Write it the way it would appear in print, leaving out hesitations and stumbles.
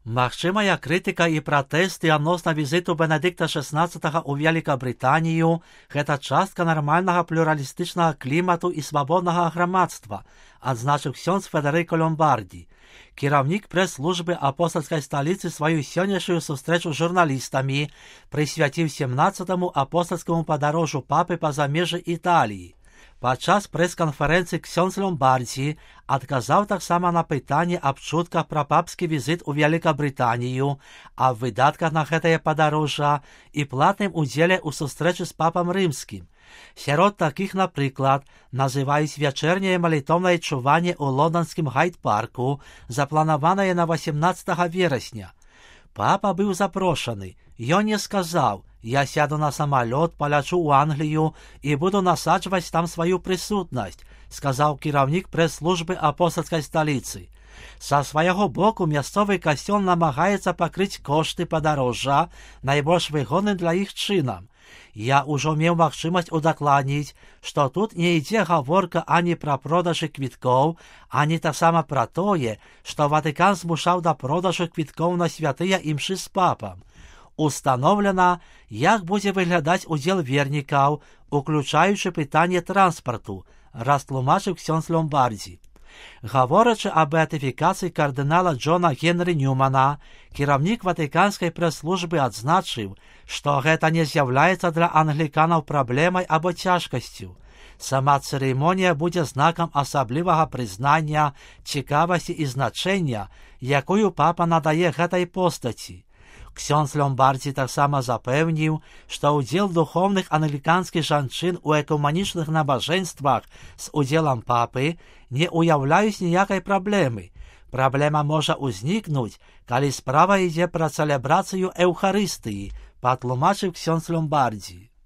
Магчымая крытыка і пратэсты адносна візіту Бенедыкта XVI ў Вялікабрытанію – гэта частка нармальнага плюралістычнага клімату і свабоднага грамадства, адзначыў ксёндз Федэрыка Ломбарді. Кіраўнік прэс-службы апостальскай сталіцы сваю сённяшнюю сустрэчу з журналістамі прысвяціў 17-му апостальскаму падарожжу папы па замежжы Італіі. Падчас прэс-канферэнцыі ксёндз Ломбардзі адказаў таксама на пытанне аб чутках пра папскі візіт у Вялікабрытанію, аб выдатках на гэтае падарожжа і платным удзеле ў сустрэчы з папам рымскім. Сярод такіх, напрыклад, называюць вячэрняе малітоўнае чуванне ў лонданскім гайд-парку, запланаванае на 18 верасня. Папа быў запрошаны. Ён не сказаў: «Я сяду на самалёт, палячу ў Англію і буду насаджваць там сваю прысутнасць», сказаў кіраўнік прэс-службы апостальскай сталіцы. Са свайго боку мясцовы касцёл намагаецца пакрыць кошты падарожжа найбольш выгодным для іх чынам. Я ўжо меў магчымасць удакладніць, што тут не ідзе гаворка ані пра продажы квіткоў, ані таксама пра тое, што Ватыкан змушаў да продажу квіткоў на святыя імшы з папам. Установлена, як будзе выглядаць удзел вернікаў, уключаючы пытанне транспарту, растлумачыў ксёндз Ломбардзі. Гаворачы аб беатыфікацыі кардынала Джона Генры Ньюмана, кіраўнік ватыканскай прэс-службы адзначыў, што гэта не з'яўляецца для англіканаў праблемай або цяжкасцю. Сама цырымонія будзе знакам асаблівага прызнання, цікавасці і значэння, якую папа надае гэтай постаці. Ксёндз Ломбардзі таксама запэўніў, што ўдзел духоўных англіканскіх жанчын у экуманічных набажэнствах з удзелам папы не ўяўляюць ніякай праблемы. Праблема можа ўзнікнуць, калі справа ідзе пра цэлебрацыю эўхарыстыі, патлумачыў ксёндз Ломбардзі.